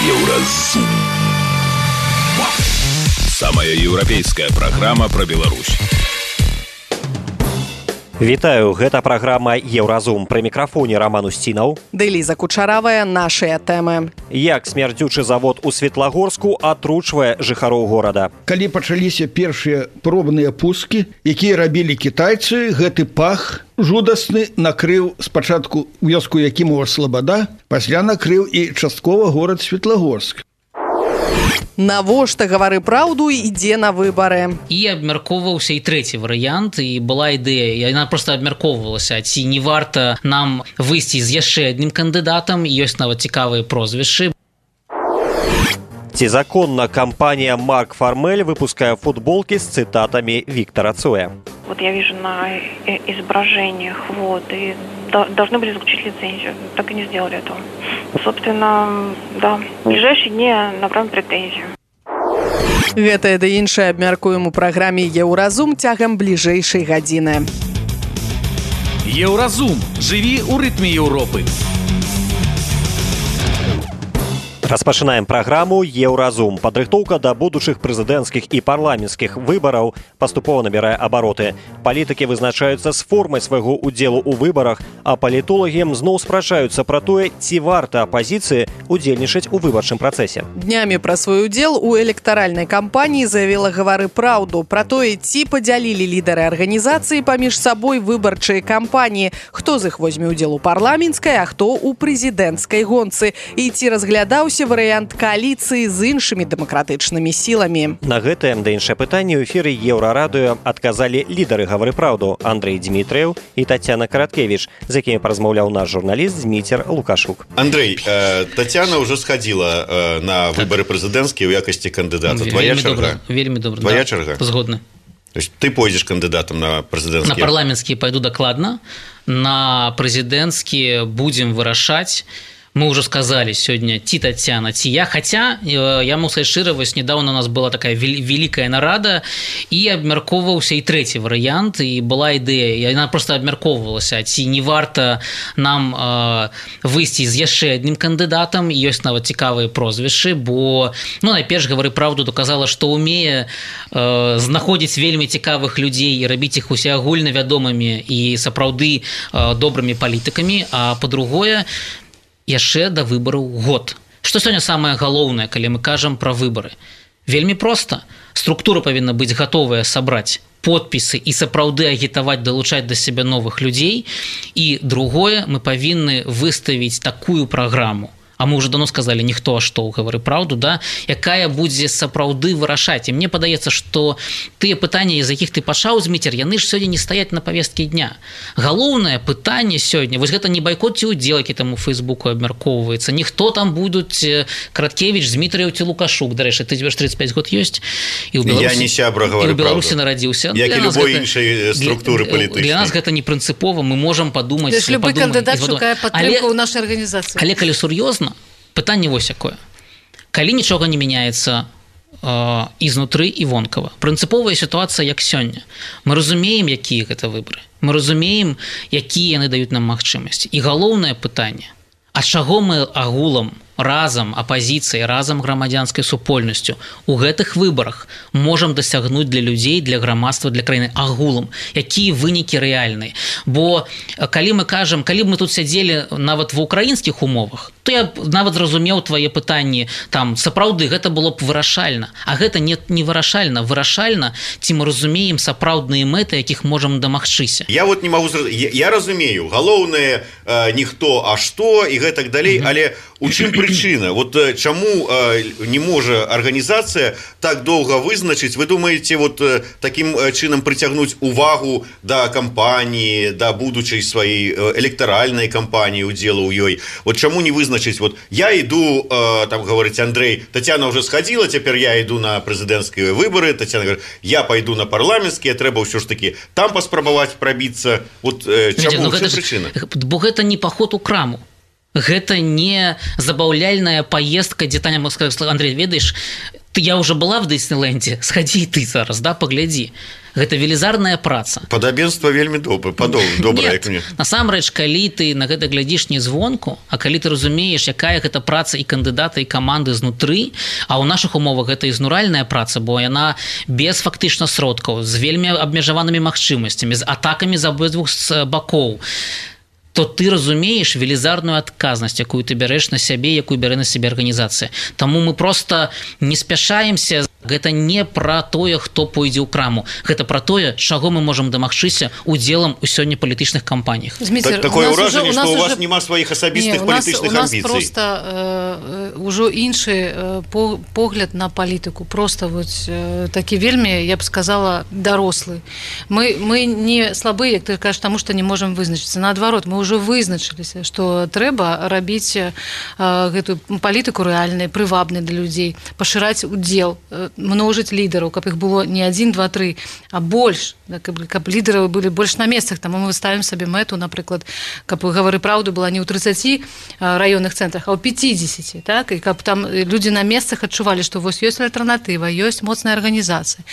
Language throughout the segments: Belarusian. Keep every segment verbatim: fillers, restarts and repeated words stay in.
Еўразум. Самая еўрапейская праграма пра Беларусь. Вітаю, гэта праграма Еўразум. Пры мікрафоне Роман Устінаў. Ды Ліза Кучаравая, нашыя тэмы. Як смярдзючы завод у Светлагорску атручвае жыхароў горада. Калі пачаліся першыя пробныя пускі, якія рабілі кітайцы, гэты пах жудасны накрыў спачатку вёску Якімова Слабада, пасля накрыў і часткова горад Светлагорск. Навошта гавары праўду ідзе на выбары. І абмяркоўваўся і трэці варыянт, і была ідэя, яна проста абмяркоўвалася, ці не варта нам выйсці з яшчэ адным кандыдатам, ёсць нават цікавыя прозвішчы. Ці законна кампанія Марк Формель выпускае футболки с цитатами Виктора Цоя? Вот я вижу на изображениях, вот, и должны были заключить лицензию, так и не сделали этого. Собственно, да, в ближайшие дни направим претензию. Гэтае да іншае абмяркуем у праграме Еўразум цягам бліжэйшай гадзіны. Еўразум. Жыві ў рытме Еўропы. Распачынаем праграму Еўразум. Падрыхтоўка да будучых прэзідэнцкіх і парламенцкіх выбараў паступова набірае абароты. Палітыкі вызначаюцца з формай свайго ўдзелу ў выбарах, а палітолагі зноў спрачаюцца пра тое, ці варта апазіцыі удзельнічаць у выбарчым працэсе. Днямі пра свой удзел у электаральнай кампаніі заявіла гавары праўду пра тое, ці падзялілі лідары арганізацыі паміж сабой выбарчыя кампаніі, хто з іх возьме ўдзел у парламенцкай, а хто ў прэзідэнцкай гонцы, і ці разглядаўся варыянт кааліцыі з іншымі дэмакратычнымі сіламі. На гэтае да іншае пытанне ў эфіры Еўрарадыё адказалі лідары гавары праўду Андрэй Дмітрыеў і Тацяна Караткевіч, з якімі паразмаўляў наш журналіст Зміцер Лукашук. Андрэй, э, Тацяна ўжо схадзіла э, на выбары прэзідэнцкія ў якасці кандыдата. Твоя чарга? Вельмі добра. Твоя чарга? Згодны. То есть ты пойдзеш кандыдатам на прэзідэнцкія? На парламенцкія пайду дакладна. На прэзідэнцкія будзем вырашаць. Мы уже сказали сегодня ці Татьяна, ці я. Хотя, я могу сказать широ, вось недавно у нас была такая великая нарада, и обмярковывался и третий вариант, и была идея, и она просто обмярковывалася, ці не варта нам э, выйсці з яшчэ адным кандыдатам, ёсць нават цікавыя прозвішчы, бо, ну, найперш гавары праўду доказала, што умее э, знаходзіць вельмі цікавых людзей і рабіць іх усеагульна вядомымі і сапраўды э, добрымі палітыкамі, а па-другое, яшчэ да выбараў год. Што сёння самае галоўнае, калі мы кажам пра выбары? Вельмі проста. Структура павінна быць гатовая сабраць подпісы і сапраўды агітаваць, далучаць да сябе новых людзей. І другое, мы павінны выставіць такую праграму, а мы уже давно сказали, ніхто, а што, гавары праўду, да, якая будзе сапраўды вырашаць. І мне падаецца, што тыя пытанні, з якіх ты пачаў, Зміцер, яны ж сёння не стаяць на павесткі дня. Галоўнае пытанне сёння, вось гэта не байкот ці удзел, які там у Фейсбуку абмяркоўваецца, ніхто там будуць Караткевіч, Змітрыеў ці Лукашук. Дарэчы, ты тебе ж тридцать пять год ёсць, і ў Беларусі, я не сябра, і ў Беларусі нарадзіўся. Як і любой іншай структуры палітычнай. Для нас гэта не прынцыпова, мы можам падумаць. Любы кандыдат шукае падтрымку ў нашай арганізацыі. Але калі сур'ёзна, пытанне вось якое. Калі нічога не мяняецца э, ізнутры і вонкава, прынцыповая сітуацыя як сёння. Мы разумеем, якія гэта выбары. Мы разумеем, якія яны даюць нам магчымасці. І галоўнае пытанне, а чаго мы агулам, разам апазіцыяй, разам грамадзянскай супольнасцю у гэтых выбарах можам дасягнуць для людзей, для грамадства, для краіны агулам, якія вынікі рэальныя. Бо калі мы кажам, калі б мы тут сядзелі нават ва ўкраінскіх умовах, то я нават зразумеў твае пытанні, там сапраўды гэта было б вырашальна, а гэта не, не вырашальна, вырашальна, ці мы разумеем сапраўдныя мэты, якіх можам дамагчыся. Я вот не могу я, я разумею, галоўнае э, ніхто, а што і гэтак далей, mm-hmm. але у чым прычына? Вот чаму э, не можа арганізацыя так доўга вызначыць? Вы думаеце, вот э, такім чынам прыцягнуць увагу да кампаніі, да будучай сваёй электаральнай кампаніі, удзелу ў ёй? Вот чаму не вызначыць? Вот я іду, э, там гаворыць Андрэй, Тацяна ўжо схадзіла, цяпер я іду на прэзідэнцкія выбары, Тацяна говорит, я пайду на парламенцкія, трэба ўсё ж такі там паспрабаваць прабіцца. Вот э, чаму? Ну, чым ж, прычына? Бо гэта не паход у краму. Гэта не забаўляльная паездка, дзе Таня, Андрей, ведаеш, я уже была в Дыснейленде, сходи ты зараз, да, паглядзі. Гэта велізарная праца. Падабенства вельмі добра, добрае. Насамрэч, калі ты на гэта глядзіш не звонку, а калі ты разумееш, якая гэта праца і кандыдата, і каманды знутры, а ў нашых умовах гэта ізнуральная праца, бо яна без фактычна сродкаў, з вельмі абмежаванымі магчымасцямі, з атакамі з абодвух бакоў, то ты разумееш велізарную адказнасць, якую ты бярэш на сябе, якую бярэ на сябе арганізацыя. Таму мы проста не спяшаемся. Гэта не пра тое, хто пойдзе ў краму. Гэта пра тое, чаго мы можам дамагчыся удзелам у сёння палітычных кампаніях. Так, такое ўражанне, што у вас няма сваіх асабістых палітычных амбіцый. У нас проста э, ўжо іншы э, погляд на палітыку. Проста вот, э, такі вельмі, я б сказала, дарослы. Мы, мы не слабыя, як ты кажаш, таму што не можам вызначыцца. Наадварот, мы ўжо вызначыліся, што трэба рабіць э, гэтую палітыку рэальнай, прывабнай для людзей, пашыраць удзел, множыць лідараў, каб іх было не адзін, два, тры, а больш, каб, каб лідары былі больш на месцах. Таму мы ставім сабе мэту, напрыклад, каб гавары праўду была не ў трыццаці раённых цэнтрах, а ў пяцідзесяці, так? І каб там людзі на месцах адчувалі, што вось ёсць альтэрнатыва, ёсць моцная арганізацыя.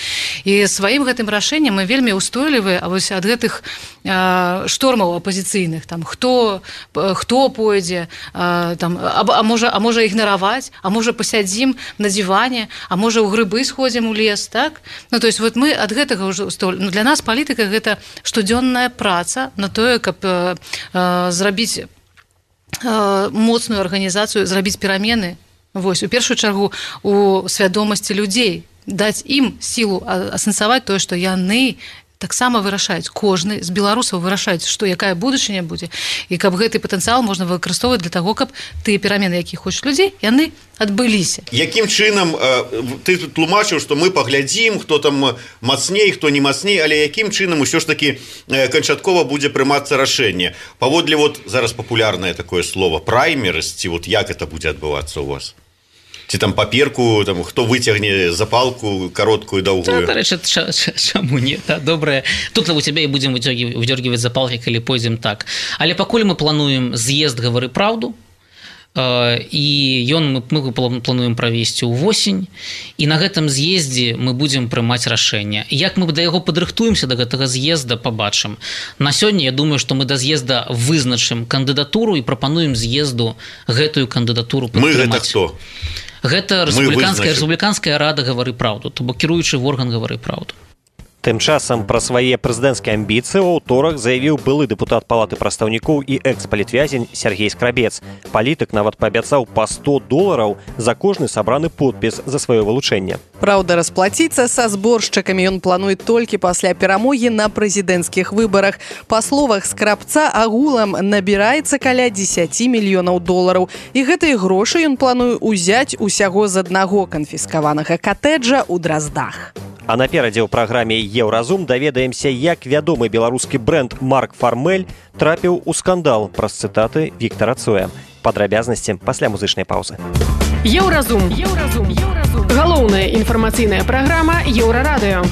І сваім гэтым рашэннем мы вельмі ўстойлівыя, а вось ад гэтых а, штормаў апазіцыйных, там хто хто пойдзе, а, там, а, а можа, а можа ігнараваць, а можа пасядзім на диване, а можа ў грыб сходзім у лес, так? Ну, то есть вот мы ад гэтага ўжо столь. Ну, для нас палітыка гэта штодзённая праца на тое, каб э, э, зрабіць э, моцную арганізацыю, зрабіць перамены, вось, у першую чаргу у свядомасці людзей, даць ім сілу асэнсаваць тое, што яны таксама вырашаюць, кожны з беларусаў вырашаюць, што якая будучыня будзе, і каб гэты патэнцыял можна выкарыстоўваць для таго, каб тыя перамены, якія хочуць людзей, яны адбыліся. Якім чынам ты тут тлумачыў, што мы паглядзім, хто там мацней, хто не мацней, але якім чынам усё ж такі канчаткова будзе прымацца рашэнне? Паводле вот зараз папулярнае такое слово праймерысці, вот як это будзе адбывацца у вас? Ці там паперку, там, хто выцягне запалку кароткую, даўгую. Да, рэчы, чаму не? Да, добрае. Тут у цябе і будзем выдзёргіваць запалкі, калі пойдзем так. Але пакуль мы плануем з'езд «Гавары праўду», і ён мы, мы плануем правесці ўвосень, і на гэтым з'ездзе мы будзем прымаць рашэнне. Як мы да яго падрыхтуемся, да гэтага з'езда, пабачым. На сёння я думаю, што мы да з'езда вызначым кандыдатуру і прапануем з'езду гэтую кандыдатуру падтрымаць. Мы гэта хто? Гэта рэспубліканская, рэспубліканская рада «Гавары праўду», то бок кіруючы орган «Гавары праўду». Тым часам пра свае прэзідэнцкія амбіцыі ў аўторак заявіў былы дэпутат палаты прадстаўнікоў і экс-палітвязень Сергей Скрабец. Палітык нават паабяцаў па сто долараў за кожны сабраны подпіс за сваё вылучэнне. Праўда, расплаціцца са зборшчыкамі ён плануе толькі пасля перамогі на прэзідэнцкіх выбарах. Па словах Скрабца, агулам набіраецца каля дзесяць мільёнаў долараў. І гэтыя грошы ён плануе ўзяць усяго з аднаго канфіскаванага катэджа ў Драздах. А наперадзе ў праграме «Еўразум» даведаемся, як вядомы беларускі брэнд «Марк Фармель» трапіў у скандал праз цытаты Віктара Цоя. Падрабязнасці пасля музычнай паўзы. Еўразум. Еўразум. Еўразум. Галоўная інфармацыйная праграма «Еўрарадыё».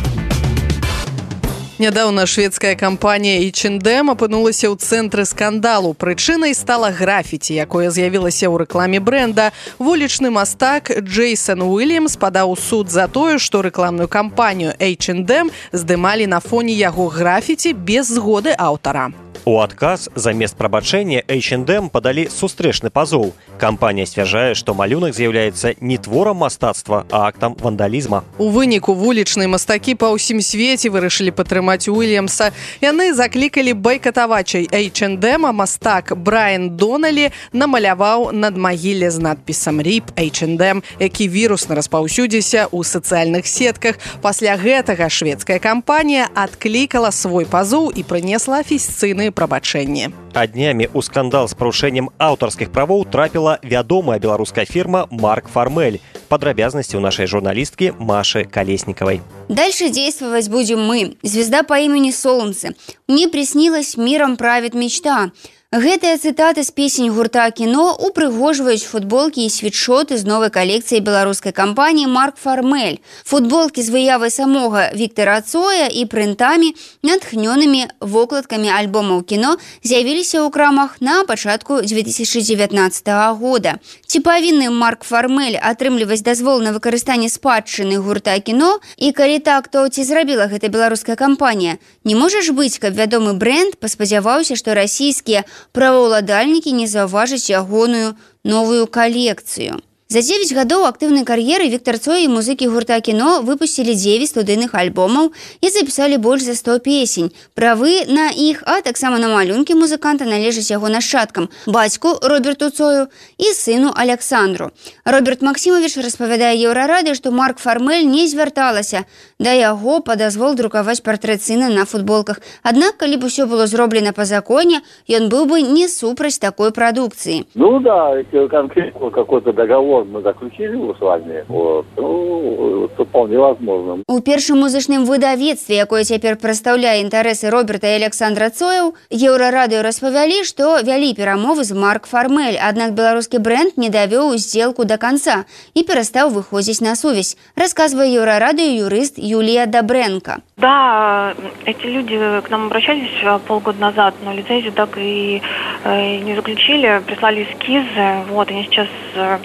Нядаўна шведская кампанія эйч энд эм апынулася ў цэнтры скандалу. Прычынай стала графіці, якое з'явілася ў рэкламе брэнда. Вулічны мастак Джейсон Уильямс падаў у суд за тое, што рэкламную кампанію эйч энд эм здымалі на фоне яго графіці без згоды аўтара. У адказ замест прабачэння эйч энд эм падалі сустрэчны пазоў. Кампанія сцвярджае, што малюнак з'яўляецца не творам мастацтва, а актам вандалізма. У выніку вулічныя мастакі па ўсім свеце вырашылі падтрымаць Уильямса. Яны заклікалі байкатавачай эйч энд эм, а мастак Брайан Доналі намаляваў над магілле з надпісам «Ріп эйч энд эм», які вірусна распаўсюдзіўся ў сацыяльных сетках. Пасля гэтага шведская кампанія адклікала свой пазоў і прынесла афіцыйныя прабачэнні. А днямі ў скандал з парушэннем аўтарскіх правоў трапіла вядомая беларуская фірма «Марк Фармель». Падрабязнасці у нашай журналісткі Маши Колесниковой. Дальше действовать будем мы. Звезда по имени Солнце. Мне приснилась, миром правит мечта. Гэтыя цытаты з песень гурта «Кіно» упрыгожваюць футболкі і світшоты з новай калекцыі беларускай кампаніі «Марк Фармель». Футболкі з выявай самога Віктара Цоя і прынтамі, натхнёнымі вокладкамі альбомаў «Кіно» з'явіліся ў крамах на пачатку дзве тысячы дзевятнаццатага года. Ці павінны Марк Фармель атрымліваць дазвол на выкарыстанне спадчыны гурта «Кіно» і калі так, то ці зрабіла гэта беларуская кампанія? Не можа ж быць, каб вядомы брэнд паспадзяваўся, што расійскія праваўладальнікі не заўважаць ягоную новую калекцыю. За дзевяць гадоў актыўнай кар'еры Віктар Цой і музыкі гурта «Кіно» выпусцілі дзевяць студыйных альбомаў і запісалі больш за сто песень. Правы на іх, а таксама на малюнкі музыканта належаць яго нашчадкам, бацьку Роберту Цою і сыну Александру. Роберт Максімович распавядае Еўрарадыё, што Марк Фармель не звярталася да яго па дазвол друкаваць партрэт сына на футболках. Аднак, калі б усё было зроблена па законе, ён быў бы не супраць такой прадукцыі. Ну да, конкретно какой-то договор мы заключили его с вами, вот, ну, это вполне возможно. У першым музычным выдавецтве, якое цяпер прадстаўляе інтарэсы Роберта і Александра Цояў, Еўрарадыё распавялі, што вялі перамовы з Марк Фармель, аднак беларускі брэнд не давёў здзелку да канца і перастаў выходзіць на сувязь, расказвае Еўрарадыё юрыст Юлія Добренко. Да, эти люди к нам обращались полгода назад, но лицензию так и э, не заключили, прислали эскизы, вот, они сейчас э,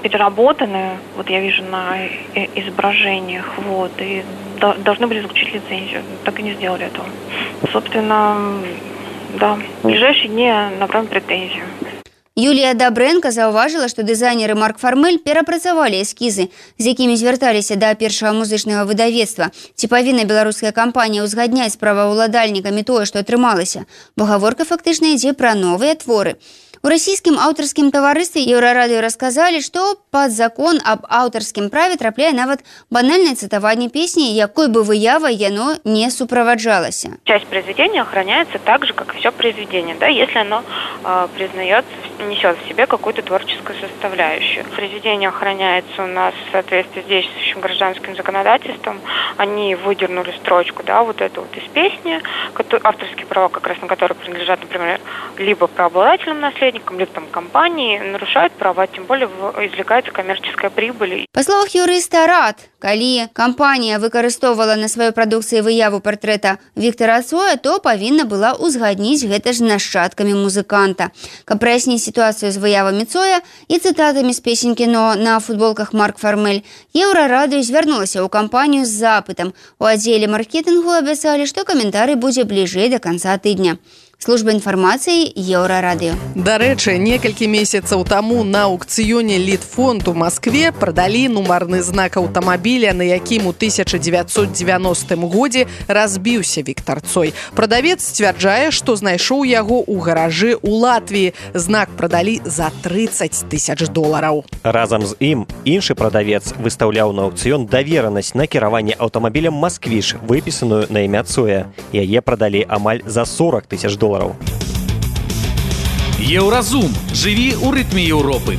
переработаны, вот я вижу на изображениях, вот, и до, должны были заключить лицензию, так и не сделали этого. Собственно, да, в ближайшие дни направим претензию. Юлія Добренко заўважыла, што дызайнеры Марк Фармель перапрацавалі эскізы, з якімі звярталіся да першага музычнага выдавецтва. Ці павінна беларуская кампанія ўзгадняць з праваўладальнікамі тое, што атрымалася? Бо гаворка фактычна ідзе пра новыя творы. У расійскім аўтарскім таварыстве Еўрарадыё расказалі, што пад закон аб аўтарскім праве трапляе нават банальнае цытаванне песні, якой бы выявай яно не суправаджалася. Часть произведения охраняется так же, как и все произведение, да, если оно э, признается, несет в себе какую-то творческую составляющую. Произведение охраняется у нас в соответствии с действующим гражданским законодательством. Они выдернули строчку, да, вот эту вот из песни, авторские права, как раз на которые принадлежат, например, либо правообладателям наследия, либо там компании, нарушают права, тем более извлекается коммерческая прибыль. Па словах юрыста Рад, калі кампанія выкарыстоўвала на сваёй прадукцыі выяву партрэта Віктара Цоя, то павінна была ўзгадніць гэта ж нашчадкамі музыканта. Каб праясніць сітуацыю з выявамі Цоя і цытатамі з песень «Кіно» на футболках Марк Фармель, Еўрарадыё звярнулася ў кампанію з запытам. У аддзеле маркетынгу абяцалі, што каментарый будзе бліжэй да канца тыдня. Служба інфармацыі Еўрарадыё. Дарэчы, некалькі месяцаў таму на аукцыёне Літфонд у Маскве прадалі нумарны знак аўтамабіля, на якім у тысяча дзевяцьсот дзевяностым годзе разбіўся Віктар Цой. Прадавец сцвярджае, што знайшоў яго ў гаражы ў Латвіі. Знак прадалі за трыццаць тысяч долараў. Разам з ім іншы прадавец выстаўляў на аукцыён даверанасць на кіраванне аўтамабілем «Масквіж», выпісаную на імя Цоя. Яе прадалі амаль за сорок тысяч долараў. Еўразум. Жыві ў рытме Еўропы.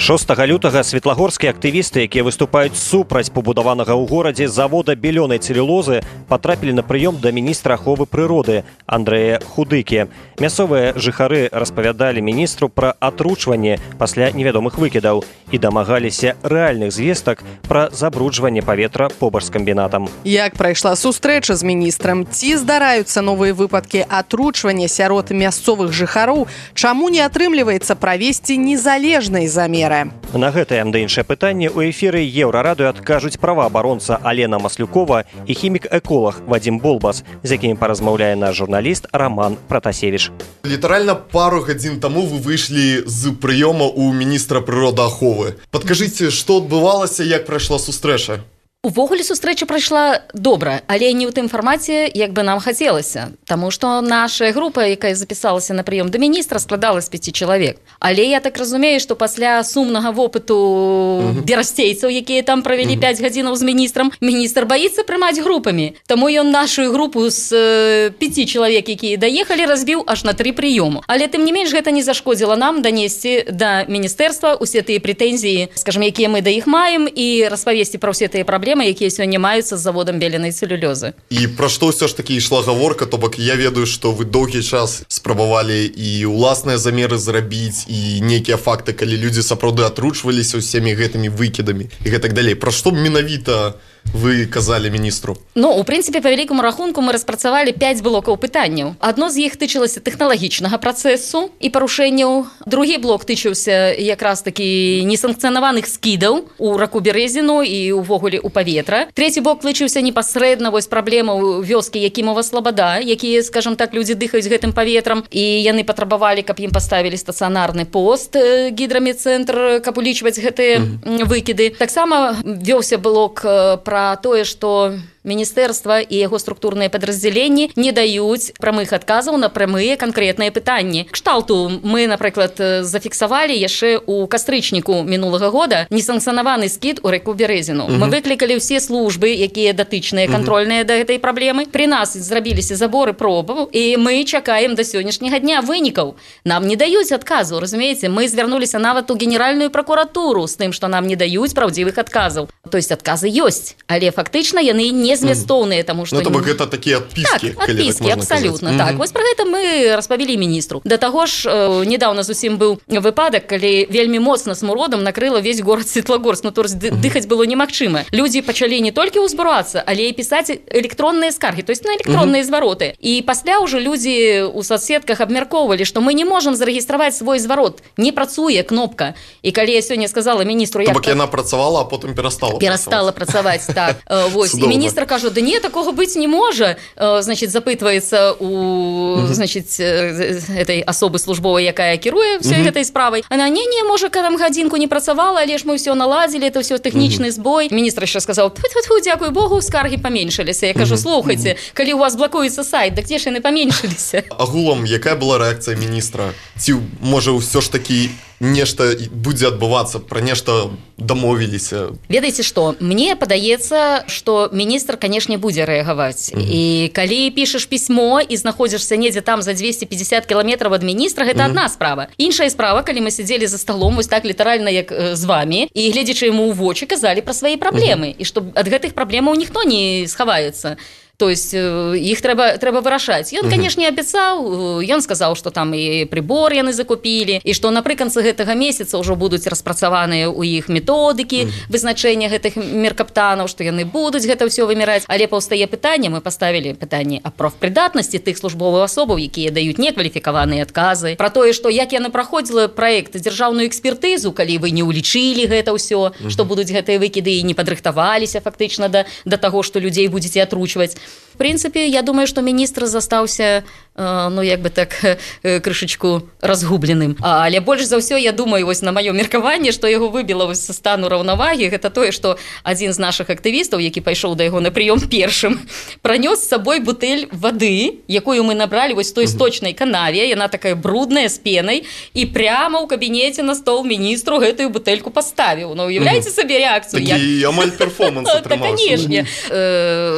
шостага лютага светлагорскія актывісты, якія выступаюць супраць пабудаванага ў горадзе завода белёнай цэлюлозы, патрапілі на прыём да міністра аховы прыроды Андрэя Худыкі. Мясцовыя жыхары распавядалі міністру пра атручванне пасля невядомых выкідаў і дамагаліся рэальных звестак пра забруджванне паветра побач з камбінатам. Як прайшла сустрэча з міністрам? Ці здараюцца новыя выпадкі атручвання сярод мясцовых жыхароў? Чаму не атрымліваецца правесці незалежнай замеры? На гэтае да іншае пытанне ў эфіры Еўрарадыё адкажуць праваабаронца Алена Маслюкова і хімік-эколог Вадзім Болбас, з якім паразмаўляе наш журналіст Роман Пратасевіч. Літаральна пару гадзін таму вы выйшлі з прыёма ў міністра прыродааховы. Падкажыце, што адбывалася, як прайшла сустрэча? Увогуле сустрэча прайшла добра, але не ў тым фармаце, як бы нам хацелася. Таму што наша група, якая запісалася на прыём да міністра, складала з пяці чалавек. Але я так разумею, што пасля сумнага вопыту uh-huh. берасцейцаў, якія там правялі uh-huh. пяць гадзінаў з міністрам, міністр баіцца прымаць групамі. Таму ён нашу групу з э, пяці чалавек, якія даехалі, разбіў аж на тры прыёму. Але тым не менш гэта не зашкодзіла нам данесці да міністэрства ўсе тыя прэтэнзіі, скажам, якія мы да іх маем, і распавесці пра ўсе тыя праблемы, праблемы, якія сёння маюцца з заводам беленай цэлюлёзы. І пра што ўсё ж такі ішла гаворка, то бок я ведаю, што вы доўгі час спрабавалі і ўласныя замеры зрабіць, і нейкія факты, калі людзі сапраўды атручваліся ўсімі гэтымі выкідамі і гэтак далей. Пра што менавіта вы казалі міністру? Ну, у прынцыпе, па вялікаму рахунку мы распрацавалі пяць блокаў пытанняў. Адно з іх тычылася тэхналагічнага працэсу і парушэнняў. Другі блок тычыўся якраз такі несанкцыянаваных скідаў у раку Бярэзіну і ўвогуле ў паветра. Трэці блок тычыўся непасрэдна вось праблемаў вёскі Якімова Слабада, якія, скажам так, людзі дыхаюць гэтым паветрам, і яны патрабавалі, каб ім паставілі стацыянарны пост гідрамедцэнтр, каб улічваць гэтыя mm-hmm. выкіды. Таксама вёўся блок про тое, што міністэрства і яго структурныя падраздзяленні не даюць прамых адказаў на прамыя канкрэтныя пытанні. Кшталту мы, напрыклад, зафіксавалі яшчэ ў кастрычніку мінулага года несанкцыянаваны скід у рэку Бярэзіну. Uh-huh. Мы выклікалі ўсе службы, якія датычныя, кантрольныя uh-huh. да гэтай праблемы. Пры нас зрабіліся заборы пробаў, і мы чакаем да сённяшняга дня вынікаў. Нам не даюць адказу, разумееце? Мы звярнуліся нават у генеральную пракуратуру з тым, што нам не даюць праўдзівых адказаў. То есть адказы ёсць, але фактычна яны не змястоўныя, таму што... Ну, то бок гэта такія адпіскі, так, адпіскі, так абсалютна, так. Вось пра гэта мы распавялі міністру. Да таго ж, э, недаўна зусім быў выпадак, калі вельмі моцна смуродам накрыла весь горад Светлагорск, ну, то есть дыхаць было немагчыма. Людзі пачалі не толькі ўзбурацца, але і пісаць электронныя скаргі, то есть на электронныя звароты. І пасля ўжо людзі ў соцсетках абмяркоўвалі, што мы не можам зарэгістраваць свой зварот. Не працуе кнопка. І калі я сёння сказала міністру... То бок яна працавала, а потым перастала перастала працаваць, так. Вось. І міністр кажа, да не, такого быць не можа. Значит, запытваецца у, значит, этой асобы службовай, якая кіруе всей гэтай справай. Она, не-не, можа, там гадзінку не працавала, але ж мы ўсё наладзілі, это ўсё тэхнічны збой. Міністр яшчэ сказаў, тьфу-тьфу, дзякуй Богу, скаргі паменшыліся. Я кажу, слухайце, калі у вас блакуецца сайт, дык дзе ж яны паменшыліся? Агулам, якая была рэакцыя міністра? Ці, можа, ўсё ж такі нешта будзе адбывацца, пра нешта дамовіліся? Ведаеце што, мне падаецца, што міністр, канешне, будзе рэагаваць. Mm-hmm. І калі пішаш пісьмо і знаходзішся недзе там за двести пятьдесят кіламетраў ад міністра, гэта mm-hmm. адна справа. Іншая справа, калі мы сядзелі за сталом, вось так літаральна, як э, з вамі, і гледзячы яму ў вочы, казалі пра свае праблемы, mm-hmm. і што ад гэтых праблемаў ніхто не схаваецца. То есть іх трэба, трэба вырашаць. Ён, канешне, абяцаў, ён сказаў, што там і прыбор яны закупілі, і што напрыканцы гэтага месяца ўжо будуць распрацаваныя ў іх методыкі вызначэння гэтых меркаптанаў, што яны будуць гэта ўсё вымяраць. Але паўстае пытанне, мы паставілі пытанне аб прафпрыдатнасці тых службовых асобаў, якія даюць некваліфікаваныя адказы, пра тое, што як яны праходзіла праект дзяржаўную экспертызу, калі вы не ўлічылі гэта ўсё, што будуць гэтыя выкіды і не падрыхтаваліся фактычна да, да таго, што людзей будзеце атручваць. В принципе, я думаю, что министр застаўся, э, ну, як бы так, э, крышечку разгубленым. А, але больш за ўсё, я думаю, вось на маё меркаванне, што яго выбіла вось са стану раўнавагі, гэта тое, што адзін з нашых актывістаў, які пайшоў да яго на прыём першым, пранёс з сабой бутэль вады, якую мы набралі вось той сточнай канаве, яна такая брудная, з пенай, і прямо ў кабінеце на стол міністру гэтую бутэльку паставіў. Ну, уяўляеце сабе рэакцыю? Такі амаль перформанс атрымаўся. Так, канешне.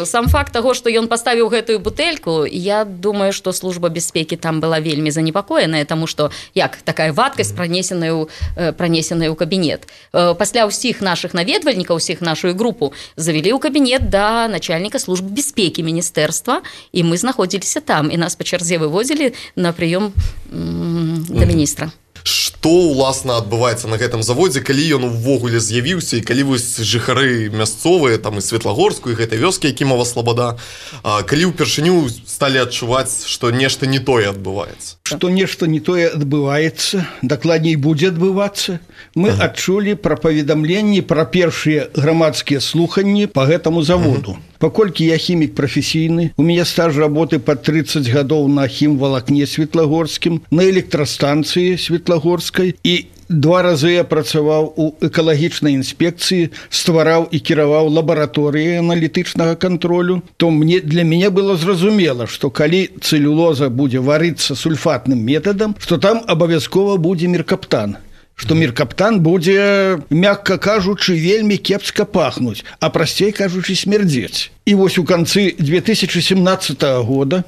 Сам факт таго, што ён паставіў гэтую бутэльку, я думаю, што служба бяспекі там была вельмі занепакоеная, таму што як такая вадкасць пранесеная ў, пранесеная ў кабінет. Пасля ўсіх нашых наведвальнікаў, усіх нашу групу завялі ў кабінет да начальніка службы бяспекі міністэрства, і мы знаходзіліся там, і нас па чарзе вывозілі на прыём м- да міністра. Што, уласна, адбываецца на гэтым заводзе, калі ён увогуле з'явіўся, і калі вось жыхары мясцовыя, там і Светлагорску, і гэтай вёскі Якімова Слабада, калі ўпершыню сталі адчуваць, што нешта не тое адбываецца? Што нешта не тое адбываецца, дакладней будзе адбывацца. Мы ага. адчулі пра паведамленні пра першыя грамадскія слуханні па гэтаму заводу. Ага. Паколькі я хімік прафесійны, у мяне стаж работы па тридцать гадоў на хімвалакне Светлагорскім, на электрастанцыі Светлагорскай, і два разы я працаваў у экалагічнай інспекцыі, ствараў і кіраваў лабараторыі аналітычнага кантролю, то мне, для мяне было зразумела, што калі цэлюлоза будзе варыцца сульфатным метадам, што там абавязкова будзе меркаптан. Што меркаптан будзе, мякка кажучы, вельмі кепска пахнуць, а прасцей кажучы, смярдзець. І вось у канцы две тысячи семнадцатого года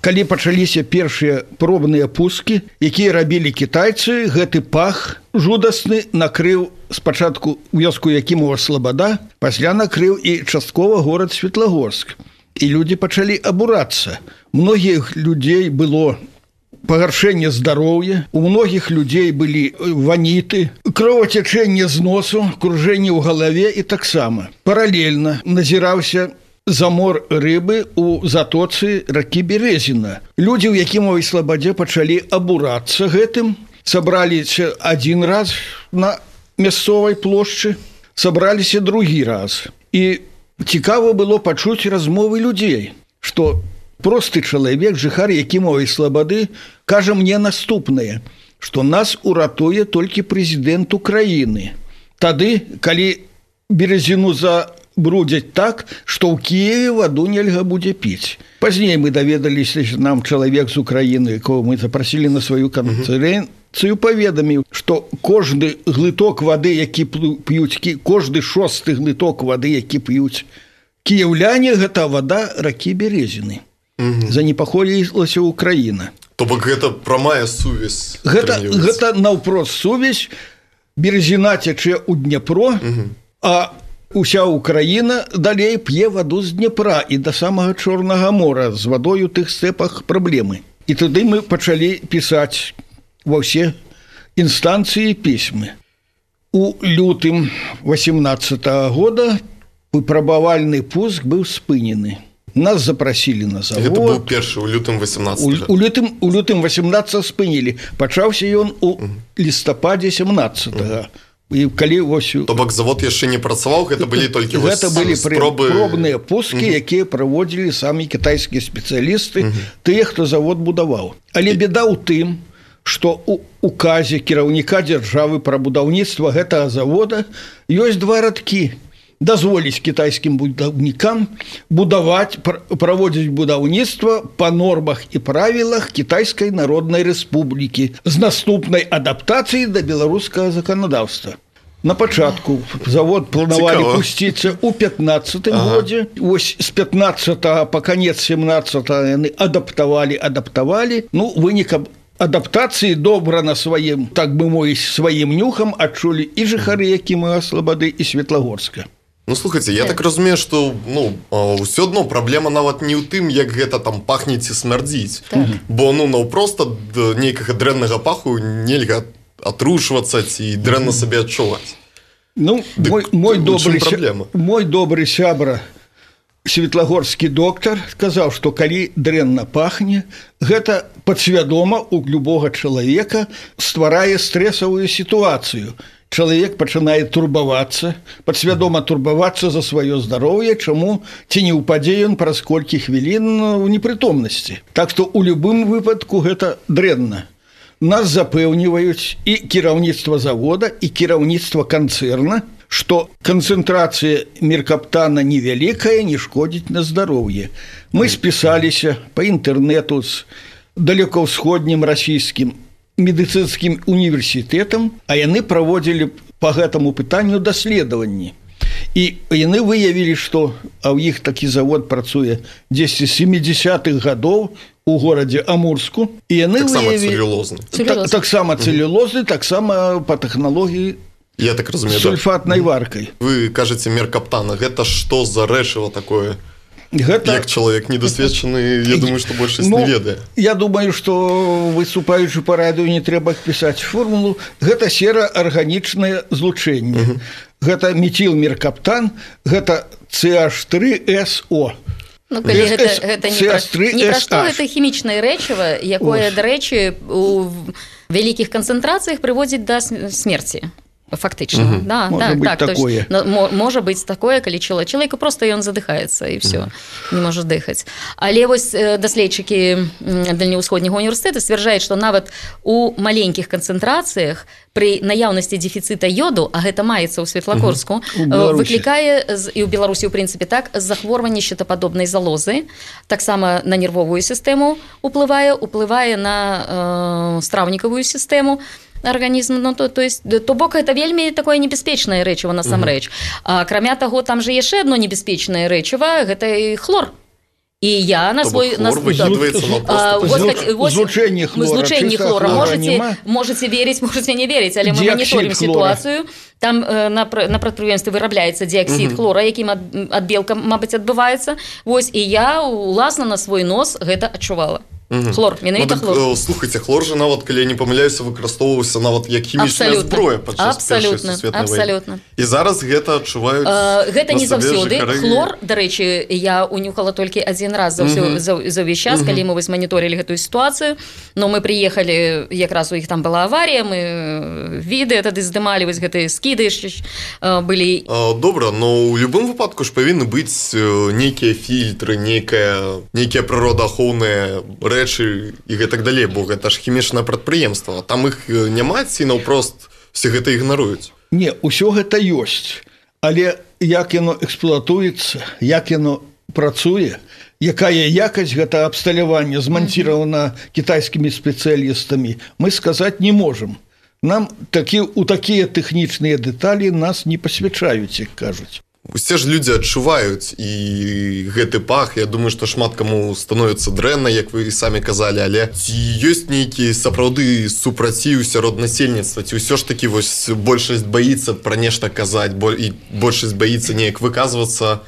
калі пачаліся першыя пробныя пускі, якія рабілі кітайцы, гэты пах жудасны накрыў спачатку вёску Якімова Слабада, пасля накрыў і часткова горад Светлагорск. І людзі пачалі абурацца. Многіх людзей было пагаршэнне здароўя, у многіх людзей былі ваніты, кровацячэнне з носу, кружэнне ў галаве і таксама. Паралельна назіраўся замор рыбы ў затоцы ракі Березіна. Людзі ў Якімовай Слабадзе пачалі абурацца гэтым, сабраліся адзін раз на мясцовай плошчы, сабраліся другі раз. І цікава было пачуць размовы людзей, што просты чалавек, жыхар Якімовай Слабады, кажа мне наступнае, што нас уратуе толькі прэзідэнт Украіны. Тады, калі Березіну за брудзяць так, што ў Кіеве ваду нельга будзе піць. Пазней мы даведаліся, нам чалавек з Украіны, якого мы запрасілі на сваю канферэнцыю, паведаміў, што кожны глыток вады, які п'юць, кожны шосты глыток вады, які п'юць кіяўляне, гэта вада ракі Березіны. Занепакоілася Украіна. То бок гэта прамая сувязь. Гэта, гэта наўпрост сувязь. Березіна цячэ ў Днепро, а уся Украіна далей п'е ваду з Днепра і да самага Чорнага мора, з вадой у тых стэпах праблемы. І тады мы пачалі пісаць ва ўсе інстанцыі пісьмы. У лютым васемнаццатага года выпрабавальны пуск быў спынены. Нас запрасілі на завод. Гэта быў першы у лютым васемнаццатага. У, у лютым, у лютым васемнаццатага спынілі. Пачаўся ён у лістападзе сямнаццатага. І калі ось... То бок завод яшчэ не працаваў, гэта былі толькі гэта былі спробы... пробныя пускі, uh-huh. якія праводзілі самі кітайскія спецыялісты, uh-huh. тыя, хто завод будаваў. Але беда ў тым, што ў указе кіраўніка дзяржавы пра будаўніцтва гэтага завода ёсць два радкі. Дазволіць кітайскім будаўнікам будаваць, праводзіць будаўніцтва па нормах і правілах Кітайскай Народнай Рэспублікі з наступнай адаптацыяй да беларускага заканадаўства. На пачатку завод планавалі Цікава. пусціцца ў пятнаццатым ага. годзе. Вось з пятнаццатага па канец семнаццатага яны адаптавалі, адаптавалі. Ну, вынікам адаптацыі добра на сваім, так бы мовіць, сваім нюхам адчулі і жыхары Якімова Слабады, і Светлагорска. Ну, слухайце, я так разумею, што ну, ўсё адно праблема нават не ў тым, як гэта там пахнець і смярдзіць. Так. Бо ну, наўпроста нейкага дрэннага паху нельга атрушвацца ці дрэнна сабе адчуваць. Ну, Дык, мой, мой, добры, мой добры сябра, светлагорскі доктар, сказаў, што калі дрэнна пахне, гэта падсвядома ў любога чалавека стварае стрэсавую сітуацыю. Чалавек пачынае турбавацца, падсвядома турбавацца за сваё здароўе, чаму ці не ўпадзе ён праз колькі хвілін у непрытомнасці. Так што ў любым выпадку гэта дрэнна. Нас запэўніваюць і кіраўніцтва завода, і кіраўніцтва канцэрна, што канцэнтрацыя меркаптана невялікая, не шкодзіць на здароўе. Мы спісаліся па інтэрнэту з далекаўсходнім расійскім медыцынскім універсітэтам, а яны праводзілі па гэтаму пытанню даследаванні. І яны выявілі, што а ў іх такі завод працуе дзесьці сямідзясятых гадоў у горадзе Амурску. І яны таксама выявілі... цэлюлозны. Так, таксама цэлюлозны, таксама па тэхналогіі Я так разумею, сульфатнай да. варкай. Вы кажаце меркаптана, гэта што за рэчыва такое? Гэта... Як чалавек недасведчаны, я думаю, што большасць ну, не ведае. Я думаю, што выступаючы па радыё не трэба пісаць формулу. Гэта сера-арганічнае злучэнне. Uh-huh. Гэта метілмеркаптан, гэта С H три S O. Ну, калі гэта, гэта не, пра, не пра што гэта хімічнае рэчыва, якое, Ось. дарэчы, у вялікіх канцэнтрацыях прыводзіць да смерці. Фактычна, угу. да, можа так, быць так, такое. То есть, можа быць такое, калі чалавек, чалавеку просто ён задыхаецца і все, угу. не можа дыхаць. Але вось даследчыкі Дальнеўсходняга універсітэта сцвярджаюць, што нават у маленькіх канцэнтрацыях пры наяўнасці дэфіцыта йоду, а гэта маецца ў Светлагорску, угу. выклікае, і ў Беларусі, ў прынцыпе, так, захворванне щитападобнай залозы, таксама на нервовую сістэму уплывае, уплывае на э, страўнікавую сістэму, арганізм, ну, то, то есть, то бок гэта вельмі такое небяспечнае рэчыва насамрэч. А акрамя таго, там жа яшчэ адно небяспечнае рэчыва, гэта і хлор. І я на свой на злучэнне хлора можете можете верыць, можете не верыць, але мы маніторым сітуацыю. Там на на прадпрыемстве вырабляецца дыаксід хлора, якім ад белка, мабыць, адбываецца. Вось, і я уласна на свой нос гэта адчувала. Хлор, менавіта хлор. Ну, слухайте, хлор же нават, калі я не памыляюся, выкарыстоўваўся нават як хімічная зброя падчас Першай сусветнай вайны. І зараз гэта адчуваюць uh, гэта не заўсёды. Хлор, дарэчы, я унюхала толькі адзін раз за, ўсё, за, за ўвесь час, uh -huh. калі мы вось маніторылі гэтую сітуацыю, но мы прыехалі, якраз у іх там была аварія, мы відэа тады здымалі, вось гэтыя скіды uh, былі. Uh, добра, но ў любым выпадку ж павінны быць нейкія фільтры, нейкая, нейкія прыродаахоўныя рэчы і гэтак далей, бо гэта ж хімічнае прадпрыемства. Там іх няма, ці наўпрост все гэта ігнаруюць. Не, усё гэта ёсць, але як яно эксплуатуецца, як яно працуе, якая якасць гэта абсталявання зманціравана кітайскімі спецыялістамі, мы сказаць не можам. Нам такі, у такія тэхнічныя дэталі нас не пасвячаюць, як кажуць. Усе ж людзі адчуваюць і гэты пах, я думаю, што шмат каму становіцца дрэнна, як вы самі казалі, але ці ёсць нейкі сапраўды супраціў сярод насельніцтва, ці ўсё ж такі вось большасць баіцца пра нешта казаць, і большасць баіцца неяк выказвацца,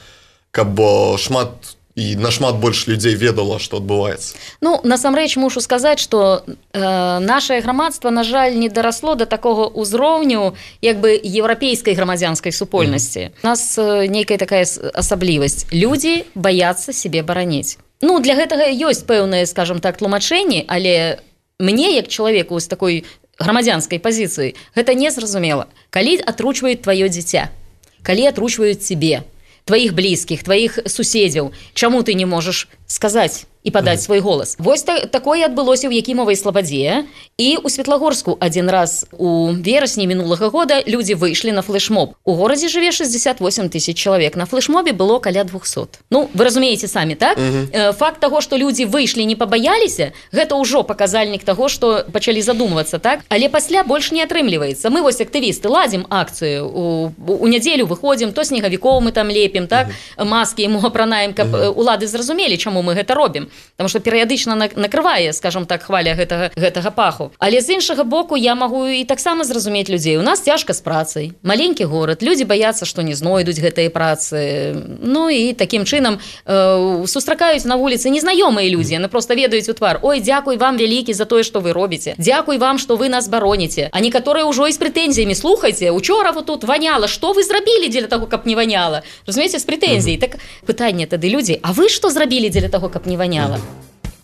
каб шмат і нашмат больш людзей ведала, што адбываецца. Ну, насамрэч мушу сказаць, што э, нашае грамадства, на жаль, не дарасло да такога ўзроўню як бы еўрапейскай грамадзянскай супольнасці. Mm. У нас э, нейкая такая асаблівасць. Людзі баяцца сябе бараніць. Ну, для гэтага ёсць пэўныя, скажам так, тлумачэнні, але мне, як чалавеку з такой грамадзянскай пазіцыі, гэта незразумела. Калі атручваюць тваё дзіця, калі атручваюць цябе, твоих близких, твоих суседзяў, чаму ты не можаш сказаць і падаць свой голас. Вось та, такое адбылося ў Якімавай Слабадзе, і ў Светлагорску адзін раз у верасні мінулага года людзі выйшлі на флешмоб. У горадзе жыве шэсцьдзесят восемь тысяч чалавек, на флешмобе было каля двухсот. Ну, вы разумееце самі, так? Uh-huh. Факт таго, што людзі выйшлі, не пабаяліся, гэта ўжо паказальнік таго, што пачалі задумвацца, так? Але пасля больш не атрымліваецца. Мы вось актывісты ладзім акцыю, у, у нядзелю выходзім, то снегавікоў мы там лепім, так? Uh-huh. Маскі яму апранаем, каб uh-huh. улады зразумелі, чаму мы гэта робім. Потому что перыядычна накрывае, скажем так, хваля гэтага, гэтага паху. Але з іншага боку я магу і таксама зразумець людзей. У нас цяжка з працай. Маленькі горад, людзі баяцца, што не знойдуць гэтыя працы. Ну і такім чынам э, сустракаюць на вуліцы незнаёмыя людзі. Яны проста ведаюць у твар. Ой, дзякуй вам вялікі за тое, што вы робіце. Дзякуй вам, што вы нас бароніце. А некаторыя ўжо і з прэтэнзіямі. Слухайце, учора вот тут ваняла. Што вы зрабілі дзеля таго, каб не ваняла? Разумееце, з прэтэнзій. Так пытанне тады людзі, а вы што зрабілі дзеля таго, каб не ваняла?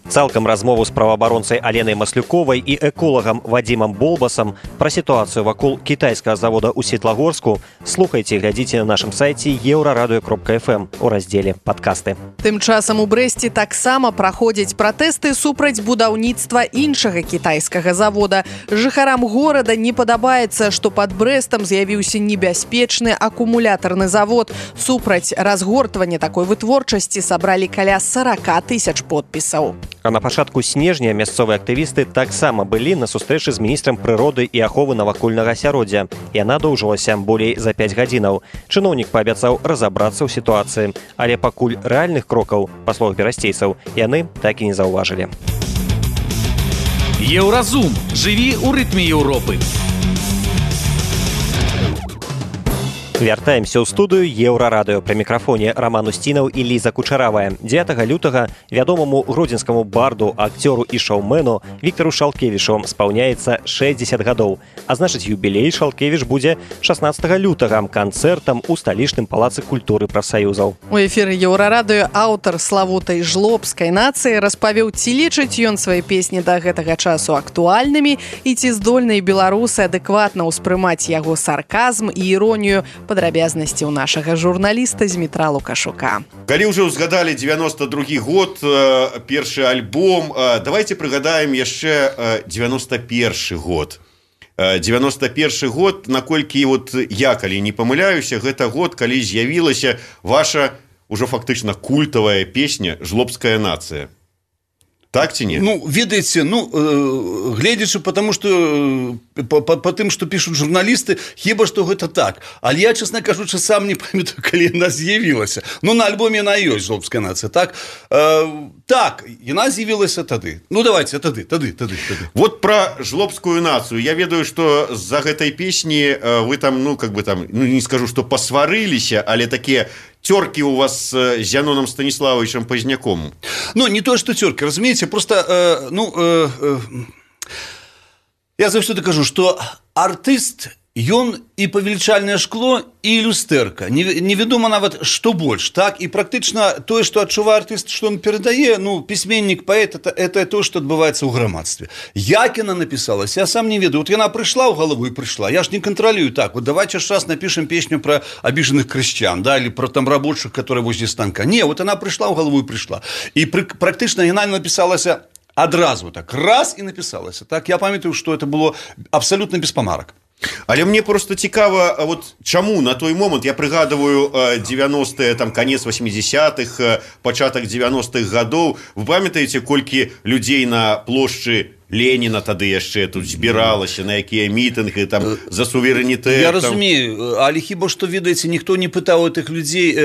Цалкам размову з праваабаронцай Аленай Маслюковай і эколагам Вадзімам Болбасам пра сітуацыю вакол кітайскага завода ў Светлагорску слухайце і глядзіце на нашым сайце еўрарадыё кропка эф эм у раздзеле падкасты. Тым часам у Брэсце таксама праходзяць пратэсты супраць будаўніцтва іншага кітайскага завода. Жыхарам горада не падабаецца, што пад Брэстам з'явіўся небяспечны акумулятарны завод. Супраць разгортвання такой вытворчасці сабралі каля сорок тысяч подпісаў. А на пачатку снежня мясцовыя актывісты таксама былі на сустрэчы з міністрам прыроды і аховы навакольнага асяроддзя. Яна доўжылася болей за пяць гадзінаў. Чыноўнік паабяцаў разабрацца ў сітуацыі, але пакуль рэальных крокаў, па словах берасцейцаў, яны так і не заўважылі. Еўразум. Жыві ў рытме Еўропы. Вяртаемся ў студыю Еўрарадыё. Пры мікрафоне Раман Усцінаў і Ліза Кучаравая. дзевятага лютага вядомаму гродзенскаму барду, акцёру і шоумену Віктару Шалкевічу спаўняецца шэсцьдзесят гадоў. А значыць, юбілей Шалкевіч будзе шаснаццатага лютага канцэртам у сталічным палацы культуры прафсаюзаў. У эфіры Еўрарадыё аўтар славутай жлобскай нацыі распавёў, ці лічыць ён свае песні да гэтага часу актуальнымі і ці здольныя беларусы адэкватна ўспрымаць яго сарказм і іронію. Падрабязнасці ў нашага журналіста Змітра Лукашука. Калі ўжо ўзгадалі дзевяносто другі год, першы альбом, давайте прыгадаем яшчэ дзевяносто першы год. дзевяносто першы год, наколькі вот я, калі не памыляюся, гэта год, калі з'явілася ваша ўжо фактычна культавая песня «Жлобская нацыя». Так ці не? Ну, ведаеце, ну, э, гледзячы, потому что э, по, по, по тым, што пішуць журналісты, хіба што гэта так. Але я, честно кажучы, сам не памятаю, калі яна з'явілася. Ну, на альбоме яна ёсць, жлобская нацыя, так? Э, так, яна з'явілася тады. Ну, давайте, тады, тады, тады, тады. Вот про жлобскую нацию. Я ведаю, что за гэтай песни э, вы там, ну, как бы там, ну, не скажу, что посварыліся, але такие... Терки у вас с Зяноном Станиславовичем Поздняком? Ну, не то, что терки, разумеете, просто, э, ну, э, э, я заўсёды кажу, что артист, ён и павелічальнае шкло, и люстэрка. Невядома нават, что больше, так? И практычна тое, что адчувае артист, что он перадае, ну, письменник, поэт, это, это то, что адбываецца ў грамадстве. Як яна написалась, я сам не ведаю. Вот яна пришла ў галаву и пришла. Я ж не контролюю так. Вот давайте ж раз напишем песню про обиженных крестьян, да, или про там рабочих, которые возле станка. Не, вот она пришла ў галаву и пришла. И практычна яна написалася адразу так, раз и написалася. Так, я памятаю, что это было абсолютно без помарок. Але мне просто цікава, вот чаму на той момант, я прыгадываю девяностые, там конец восьмидесятых, пачатак девяностых гадоў, вы памятаеце, колькі людзей на плошчы Ленина тады яшчэ тут збіралася, на якія мітынгі там за суверэнітэт. Я там... разумею, але хіба што, ведаеце, ніхто не пытаў гэтых людзей,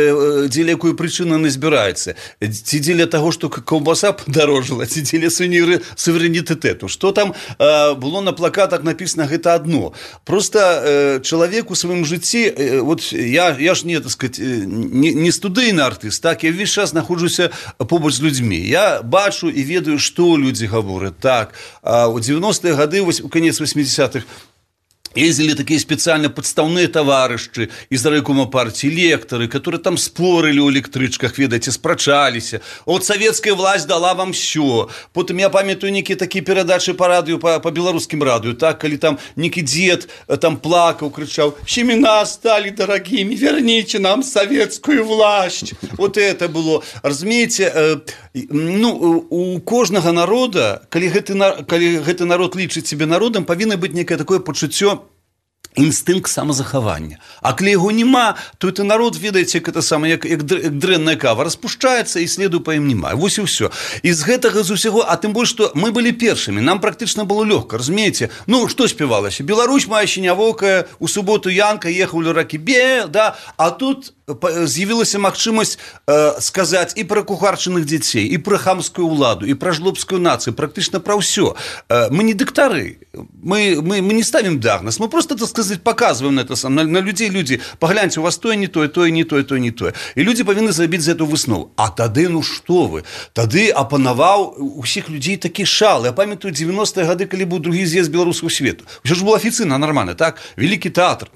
дзеля якой прычыны яны збіраюцца. Ці дзеля таго, што каўбаса падарожала, ці дзеля суверэнітэту. Што там э, было на плакатах напісана, гэта адно. Просто э, чалавек у сваім жыцці, э, вот я, я ж не, так сказать, не, не студыйны артыст, так, я ўвесь час находжуся побач з людзьмі. Я бачу і ведаю, што людзі гавораць, так. А у девяностые гады, у конец восьмидесятых, ездили такие специально подставные товарищи из райкома партии, лекторы, которые там спорили у электричках, ведаете, спрачалися. Вот советская власть дала вам все. Потом я памятаю некие такие передачи по радио, по, по белорусским радио, так, или там некий дед там плакал, кричал: «Семена стали дорогими, верните нам советскую власть». Вот это было. Разумеете, э, ну, у кожного народа, коли гэты народ лічыць себе народом, павінна быць некое такое пачуццё, інстынкт самазахавання. А калі яго няма, то это народ, ведаеце, як это самае, як, як дрэнная кава, распушчаецца і следу па ім няма. Вось і ўсё. І з гэтага з усяго, а тым больш, што мы былі першымі, нам практычна было лёгка, разумееце? Ну, што спявалася? Беларусь моя сінявокая, у суботу Янка ехаў ля ракі Бе, да? А тут з'явілася магчымасць э, сказаць і пра кухарчыных дзяцей, і пра хамскую ўладу, і пра жлобскую нацыю, практычна пра ўсё. Э, мы не дактары, мы, мы, мы не ставім дыагноз, мы просто, так сказать, показываем это сам, на, на людей, люди, погляньте, у вас тое не тое, тое не тое, тое не тое. І людзі павінны зрабіць за эту выснову. А тады, ну што вы, тады апанаваў усіх людзей такі шал. Я памятаю девяностые гады, калі быў другі з'езд беларускага свету. Усё ж было афіцыйна, нормально, так? Вялікі тэатр.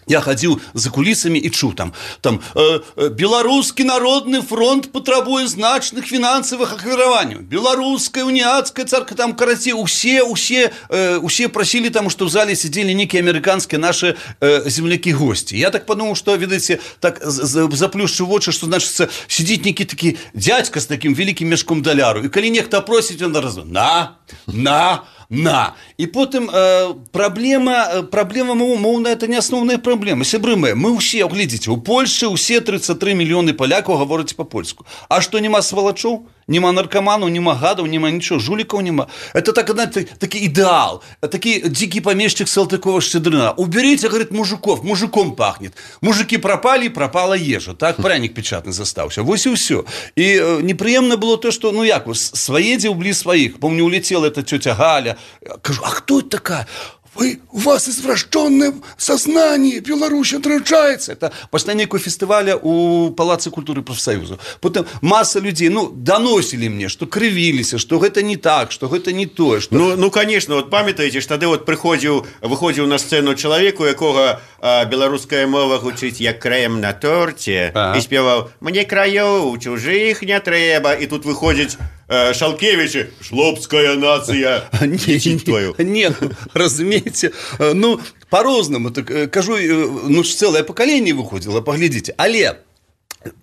Я ходил за кулисами и чуў там, там э, э, беларускі народны фронт патрабуе значных фінансавых ахвяраванняў. Беларуская уніяцкая царка, там, карацей, усе, усе, э, усе просили там, что в зале сидели некие американские наши э, земляки-гости. Я так подумал, что, видите, так заплюшчу вочы, что, значит, сидит некий такі дядька с таким великим мешком даляру. И калі нехта просить, он раз, на, на, на. И потым э, проблема, проблема моўная, это не основная проблема. Сябры мы, мы все, глядите, у Польши все тридцать три миллионы поляков говорят по-польску. А что, нема сволочов? Нема наркоманов, нема гадов, нема ничего, жуликов нема. Это так, знаете, такой идеал, такой дикий помещик Салтыкова-Щедрина. Уберите, говорит, мужиков, мужиком пахнет. Мужики пропали, пропала ежа. Так, пряник печатный застався. Вот и все. И э, неприемно было то, что, ну як, своедил близ своих. Помню, улетела эта тетя Галя. Кажу, а кто это такая? Вы, у вас извращенное сознание, Беларусь отрывается. Это после некого фестиваля у Палаца культуры профсоюза. Потом масса людей, ну, доносили мне, что кривились, что это не так, что это не то. Что... Ну, ну, конечно, вот памятаете, что тогда вот приходил, выходил на сцену человек, у якого а, белорусская мова гучить як крем на торте, ага. И спевал «Мне краёў чужих не трэба», и тут выходит... Шалкевичи, жлобская нация. Нет, нет, разумеете, ну, по-розному, так, кажу, ну, целое поколение выходило, поглядите. Але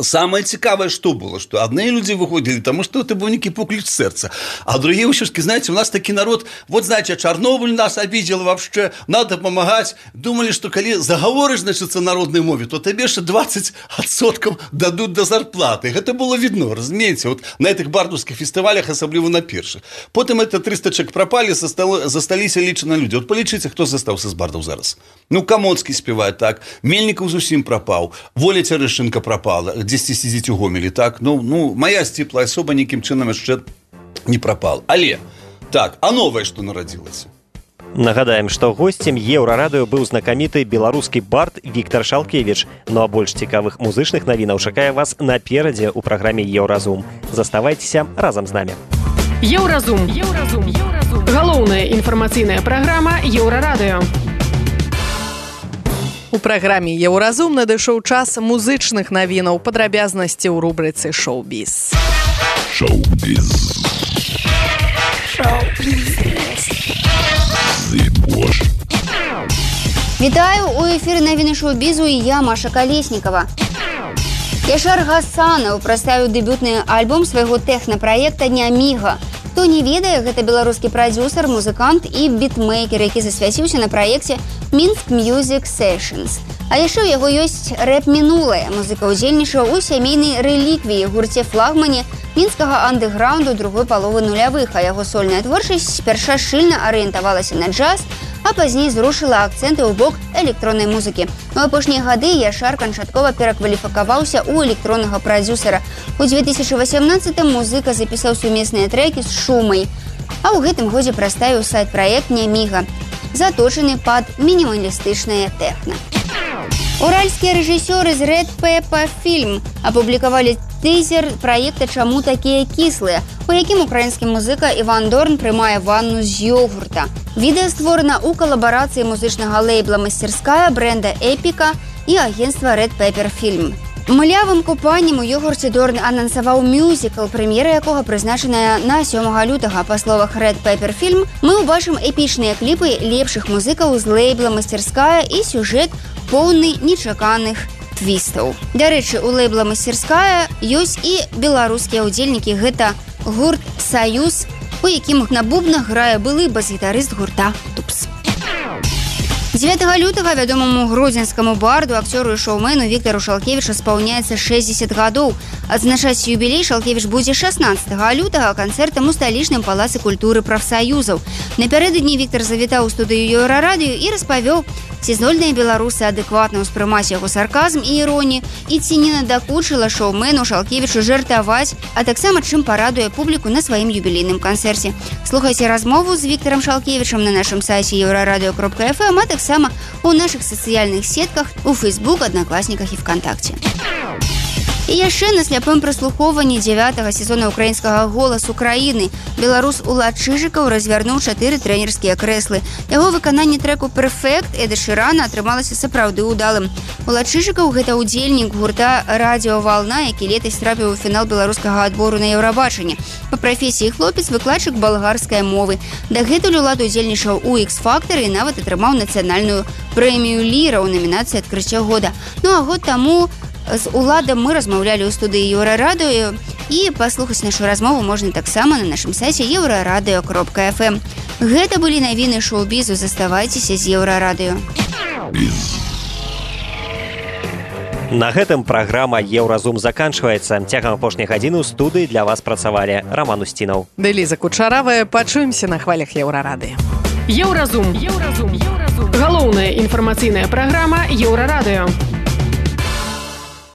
Самое цікавое, что было, что одни люди выходили, потому что это был некий поклич сердца, а другие все-таки, знаете, у нас такой народ, вот, знаете, Чернобыль нас обидел вообще, надо помогать, думали, что коли заговоришь, значит, на народной мове, то тебе еще двадцать відсотків дадут до зарплаты. Это было видно, разумеете, вот на этих бардовских фестивалях, особливо на перших. Потом это триста человек пропали, засталися лічені люди. Вот полічите, хто застався з бардов зараз. Ну, Камоцкий співає так, Мельников зусім пропав, Воля Терешенко пропала, десь сидіть у Гомелі, так? Ну, ну, моя степла особа ніким чином ще не пропала. Але, так, а новое, что народилось? Нагадаем, што госцем Еўрарадыё быў знакаміты беларускі бард Віктор Шалкевіч. Ну а больш цікавых музычных навінаў чакае вас наперадзе ў праграме Еўразум. Заставайцеся разам з намі. Еўразум. Еўразум. Еўразум. Галоўная інфармацыйная праграма Еўрарадыё. У праграме Еўразум надышоў час музычных навінаў, падрабязнасці ў рубрыцы «Шоу-біз». Шоу-біз. Вітаю, у эфіры навіны шоу-бізу і я, Маша Калеснікова. Яшар Гасанаў прадставіў дэбютны альбом свайго тэхна-праекта «Няміга». Хто не ведае, гэта беларускі прадзюсар, музыкант і бітмейкер, які засвяціўся на праекце «Мінск Music Sessions». А яшчэ ў яго ёсць рэп-мінулае. Музыка ўдзельнічаў у сямейнай рэліквіі, гурце флагмане мінскага андэграунду другой паловы нулявых, а яго сольная творчасць спярша шчыльна арыентавалася на джаз, а пазней зрушыла акцэнты ў бок электроннай музыкі. У апошнія гады Яшар канчаткова перакваліфікаваўся ў электроннага прадзюсара. У дзве тысячы васямнаццатым музыка запісаў сумесныя трэкі з Шумай, а ў гэтым годзе прадставіў сайт-праект «Няміга», заточаны пад мінімалістычнае тэхна. Уральскія рэжысёры з Red Pepper Film апублікавалі тизер праекта «Чаму такія кіслыя», у якім украінскі музыка Іван Дорн прымае ванну з йогурта. Відэа створана ў калабарацыі музычнага лейбла «Мастерская», бренда «Эпіка» і агенцтва Red Pepper Film. Млявым купаннем у йогурце Дорн анансаваў мюзікл, прэм'ера якога прызначаная на сёмага лютага. Па словах Red Pepper Film, мы ўбачым эпічныя кліпы лепшых музыкаў з лейбла «Мастерская» і сюжэт поўны нечаканых твістаў. Дарэчы, у лейбла «Мастерская» ёсць і беларускія ўдзельнікі. Гэта гурт «Саюз», у якім на бубнах грае былы бас-гітарыст гурта «Тупс». дзевятага лютага вядомаму гродзенскаму барду, акцёру і шоумену Віктару Шалкевічу спаўняецца шэсцьдзесят гадоў. Адзначаць юбілей Шалкевіч будзе шаснаццатага лютага канцэртам у сталічным палацы культуры прафсаюзаў. Напярэдадні Віктар завітаў у студыю Еўрарадыё і распавёў, ці здольныя беларусы адэкватна ўспрымаць яго сарказм і іронію, і ці не надакучыла шоумену Шалкевічу жартаваць, а таксама чым парадуе публіку на сваім юбілейным канцэрце. Слухайце размову з Віктарам Шалкевічам на нашым сайце еўрарадыё кропка эф эм, а таксама у нашых сацыяльных сетках, у Фейсбук, Аднакласніках і ВКонтакце. І яшчэ на сляпым праслухоўванні дзявятага сезона украінскага «Голас Украіны» беларус Улад Чыжыкаў развярнуў чатыры трэнерскія крэслы. Яго выкананне трэку «Перфект» Эда Шырана атрымалася сапраўды ўдалым. Улад Чыжыкаў – гэта ўдзельнік гурта «Радіо Вална», які летась трапіў у фінал беларускага адбору на Еўрабачанне. Па прафесіі хлопец выкладчык балгарскай мовы. Дагэтуль Улад удзельнічаў у «Ікс-фактар» і нават атрымаў нацыянальную прэмію «Ліра» ў намінацыі «Адкрыццё года». Ну а год таму з Уладам мы размаўлялі ў студыі Еўрарадыё, і паслухаць нашу размову можна таксама на нашым сайце еўрарадыё кропка эф эм. Гэта былі навіны шоу-бізу. Заставайцеся з Еўрарадыё. На гэтым праграма «Еўразум» заканчваецца. Цягам апошняй гадзіны ў студыі для вас працавалі Раман Усцінаў. Дэліза Кучаравая. Пачуемся на хвалях Еўрарадыё. Еўразум. Еўразум. Еўразум. Галоўная інфармацыйная праграма Еўрарадыё.